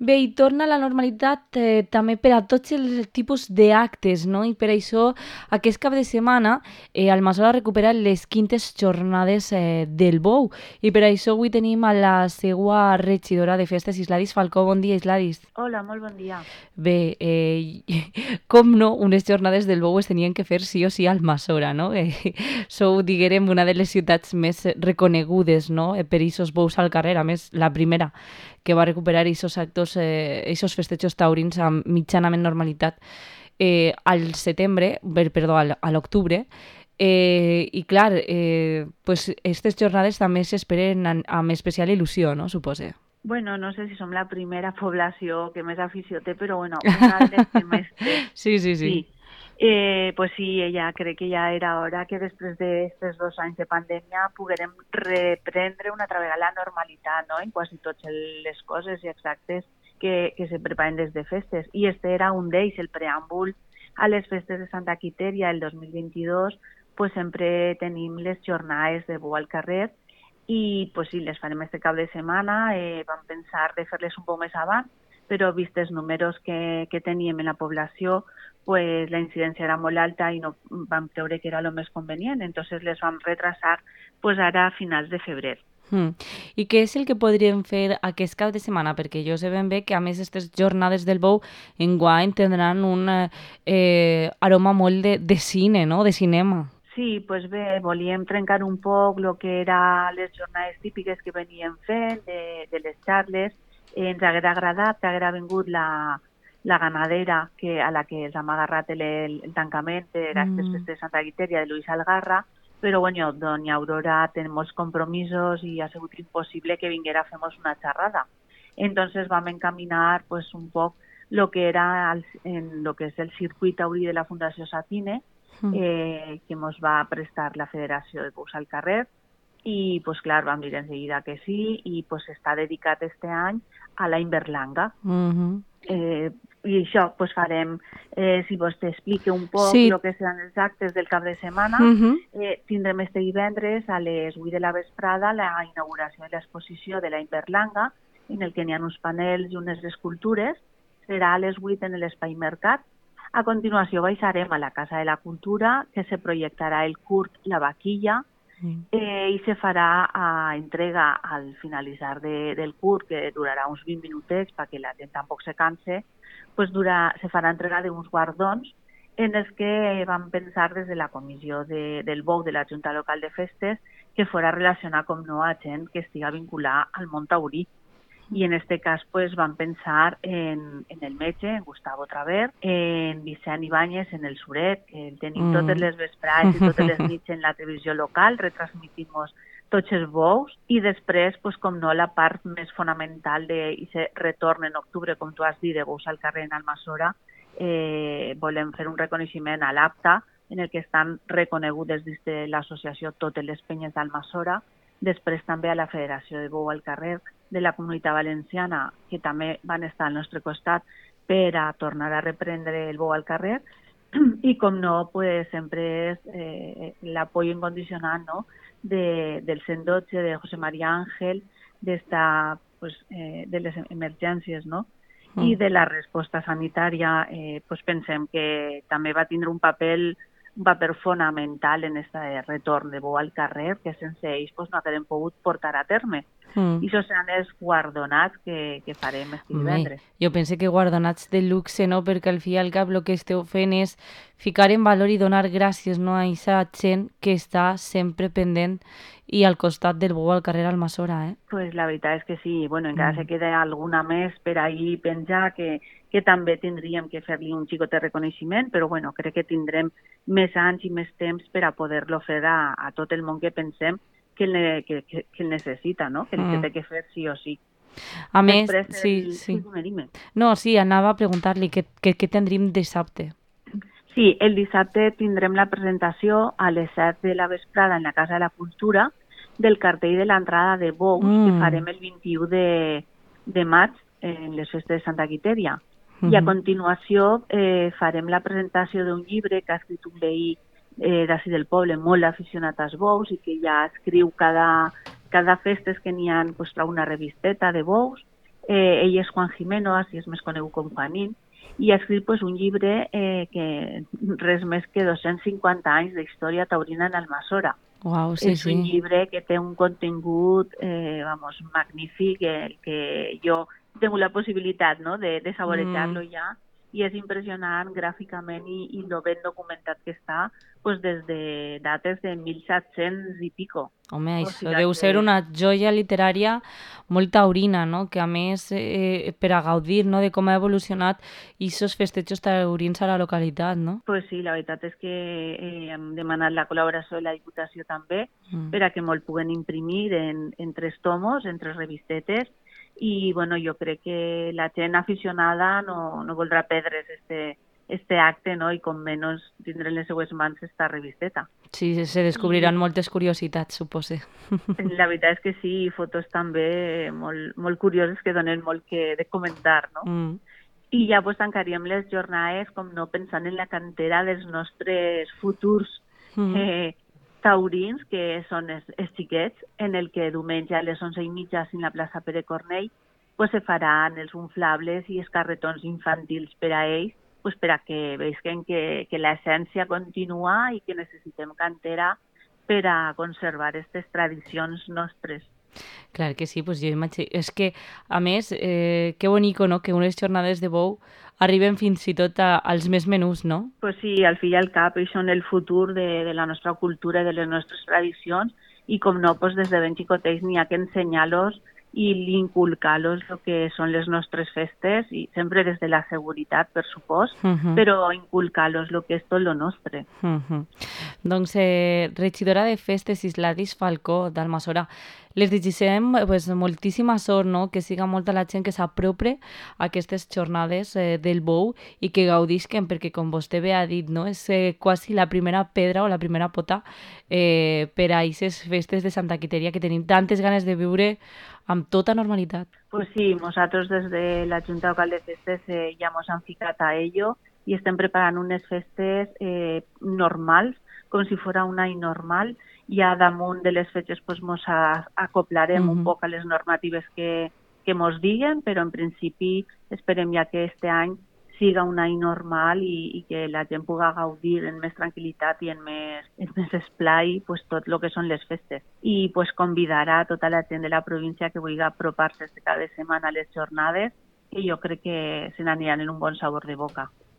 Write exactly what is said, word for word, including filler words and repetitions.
Bé, i torna a la normalitat eh, també per a tots els tipus d'actes, no? I per això aquest cap de setmana eh, Almassora recupera les quintes jornades eh, del Bou. I per això avui tenim a la seva regidora de festes, Isladis Falcó. Bon dia, Isladis. Hola, molt bon dia. Bé, eh, com no, unes jornades del Bou es tenien que fer sí o sí a Almassora, no? Eh, sou, diguem, una de les ciutats més reconegudes, no?, eh, per aquests bous al carrer, a més, la primera que va recuperar aquests actos, eh, aquests festejos taurins amb mitjanament normalitat eh, al setembre, per- perdó, al- a l'octubre, eh, i clar, eh, pues, aquestes jornades també s'esperen amb, amb especial il·lusió, no?, supose. Bueno, no sé si som la primera població que més afició té, però bueno, una de les que més té. Sí, sí, sí. Sí. Eh, pues sí, ella crec que ja era hora que després d'aquests dos anys de pandèmia poguérem reprendre una altra vegada la normalitat, no?, en quasi totes les coses i exactes que, que se preparen des de festes. I este era un d'ells, el preàmbul a les festes de Santa Quitèria el dos mil vint-i-dos, pues sempre tenim les jornades de Bou al carrer i pues sí, les farem este cap de setmana. Eh, vam pensar de fer-les un poc més abans, però vist els números que, que teníem en la població, pues la incidència era molt alta i no vam creure que era el més convenient, entonces les vam retrasar pues ara a finals de febrer. Mm. I què és el que podríem fer aquest cap de setmana? Perquè jo sé ben bé que a més aquestes jornades del Bou enguany tindran un eh, eh, aroma molt de, de cine, no?, de cinema. Sí, pues bé, volíem trencar un poc el que eren les jornades típiques que veníem fent, de, de les xarles. Eh, ens haguera agradat que haguera vingut la, la ganadera que, a la que ens hem agarrat el, el tancament d'aquestes Mm. festes de Santa Quitèria de Luis Algarra, però bueno, doña Aurora té molts compromisos i ha sigut impossible que vinguera a fer-nos una xerrada. Entonces vam encaminar pues, un poc lo que era el, en lo que és el circuit taurí de la Fundació Satine, Mm. eh, que ens va prestar la Federació de Bous al carrer, i pues, clar, vam dir enseguida que sí, i pues, està dedicat este any a la Inverlanga. Mm-hmm. Eh, I això pues, farem, eh, si vos t'explique un poc Sí. el que seran els actes del cap de setmana, Mm-hmm. eh, tindrem este divendres a les vuit de la vesprada la inauguració de l'exposició de la Inverlanga, en el que n'hi ha uns panels i unes escultures. Serà a les vuit en l'Espai Mercat. A continuació baixarem a la Casa de la Cultura, que se projectarà el curt La Vaquilla, Mm. eh, i se farà a entrega al finalitzar de, del curt, que durarà uns vint minutets perquè la gent tampoc se canse, pues dura, se farà entrega d'uns guardons en els que vam pensar des de la comissió de, del Bou de la Junta Local de Festes que fora relacionar com no a gent que estiga vinculada al món taurí. I en este cas pues, vam pensar en, en el metge, en Gustavo Traver, en Vicent Ibáñez, en el Suret, que el tenim Mm. totes les vesprades i totes les nits en la televisió local, retransmitim-nos tots els bous, i després, pues, com no, la part més fonamental d'aquest retorn en octubre, com tu has dit, de Bous al carrer en Almassora, eh, volem fer un reconeixement a l'APTA, en el que estan reconegudes des de l'associació totes les penyes d'Almassora, després també a la Federació de Bou al carrer de la Comunitat Valenciana, que també van estar al nostre costat per a tornar a reprendre el Bou al carrer, i com no, pues, sempre és eh, l'apoyo incondicional, no?, de, del cent dotze, de José María Ángel, d'esta, pues, eh, de les emergències, no?, Mm. i de la resposta sanitària. Eh, pues pensem que també va tindre un paper un paper fonamental en este retorn de Bou al carrer, que sense ells pues, no haguem pogut portar a terme. Mm. I això seran els guardonats que, que farem este Home, divendres. jo pense que guardonats de luxe, no?, perquè al fi i al cap el que esteu fent és ficar en valor i donar gràcies, no?, a aquesta gent que està sempre pendent i al costat del Bou al carrer Almassora, eh? Pues la veritat és que sí. Bueno, encara Mm. se queda alguna més per ahir penjar que, que també tindríem que fer-li un xicot de reconeixement, però bueno, crec que tindrem més anys i més temps per a poder-lo fer a, a tot el món que pensem que el, ne- que, que, que el necessita, no?, que Mm. el té que fer sí o sí. A més, Després, sí, el... sí. sí, dime, dime. No, sí, anava a preguntar-li què, què, què tindríem dissabte. Sí, el dissabte tindrem la presentació a les set de la vesprada en la Casa de la Cultura del cartell de l'entrada de Bous, Mm. que farem el vint-i-u de, de maig en les festes de Santa Quitèria. I a Mhm. continuació eh, farem la presentació d'un llibre que ha escrit un veí eh, d'ací del poble, molt aficionat als bous, i que ja escriu cada, cada festes que n'hi ha, pues, trau una revisteta de bous. Eh, ell és Juan Jimeno, així és més conegut com Juanín, i ha escrit pues, un llibre eh, que res més que dos-cents cinquanta anys d'història taurina en Almassora. Uau, sí, és un sí. llibre que té un contingut eh, vamos, magnífic, el que jo he tingut la possibilitat no, de, de saborejar-lo Mm. ja, i és impressionant gràficament i, i lo ben documentat que està pues, des de dates de mil set-cents i pico. Home, O això sigui deu ser que... una joia literària molt taurina, no? Que a més, eh, per a gaudir, no?, de com ha evolucionat aquests festejos taurins a la localitat, no? Pues sí, la veritat és que eh, hem demanat la col·laboració de la Diputació també Mm. per a que molt puguen imprimir en, en tres tomos, en tres revistetes, i bueno, jo crec que la gent aficionada no, no voldrà perdre's este, este acte, no? I com menys tindre en les seues mans esta revisteta. Sí, se descobriran I moltes curiositats, supose. la veritat és que sí, i fotos també molt, molt curioses que donen molt que de comentar, no? Mm. I ja pues, tancaríem les jornades, com no, pensant en la cantera dels nostres futurs Mm. eh, taurins, que són els, els xiquets, en el que diumenge a les onze i mitja en la plaça Pere Cornell pues, se faran els inflables i els carretons infantils per a ells, pues, per a que veuen que, que l'essència continua i que necessitem cantera per a conservar aquestes tradicions nostres. Clar que sí, pues jo imagino... És que, a més, eh, que bonico, no?, que unes jornades de bou arriben fins i tot a, als més menús, no? Pues sí, al fi i al cap, ells són el futur de, de la nostra cultura i de les nostres tradicions, i com no, pues des de ben xicotets n'hi ha que ensenyar-los i inculcar-los el que són les nostres festes, i sempre des de la seguretat, per supòs, Uh -huh. però inculcar-los el que és tot lo nostre. Uh -huh. Doncs, eh, regidora de Festes Isladis Falcó d'Almassora, les desitgem pues, moltíssima sort, no? Que siga molta la gent que s'apropre a aquestes jornades eh, del bou i que gaudisquen, perquè com vostè bé ha dit, no? És eh, quasi la primera pedra o la primera pota eh, per a aquestes festes de Santa Quiteria que tenim tantes ganes de viure amb tota normalitat. Pues sí, nosaltres des de la Junta Local de Festes eh, ja ens hem ficat a ello i estem preparant unes festes eh, normals, com si fos un any normal. Ja damunt de les fetges pues, mos acoplarem uh-huh. un poc a les normatives que, que mos diguen, però en principi esperem ja que este any siga un any normal i, i que la gent pugui gaudir en més tranquil·litat i en més, en més esplai pues, tot el que són les festes. I pues, convidar a tota la gent de la província que vulgui apropar-se cada setmana a les jornades, que jo crec que se n'aniran en un bon sabor de boca.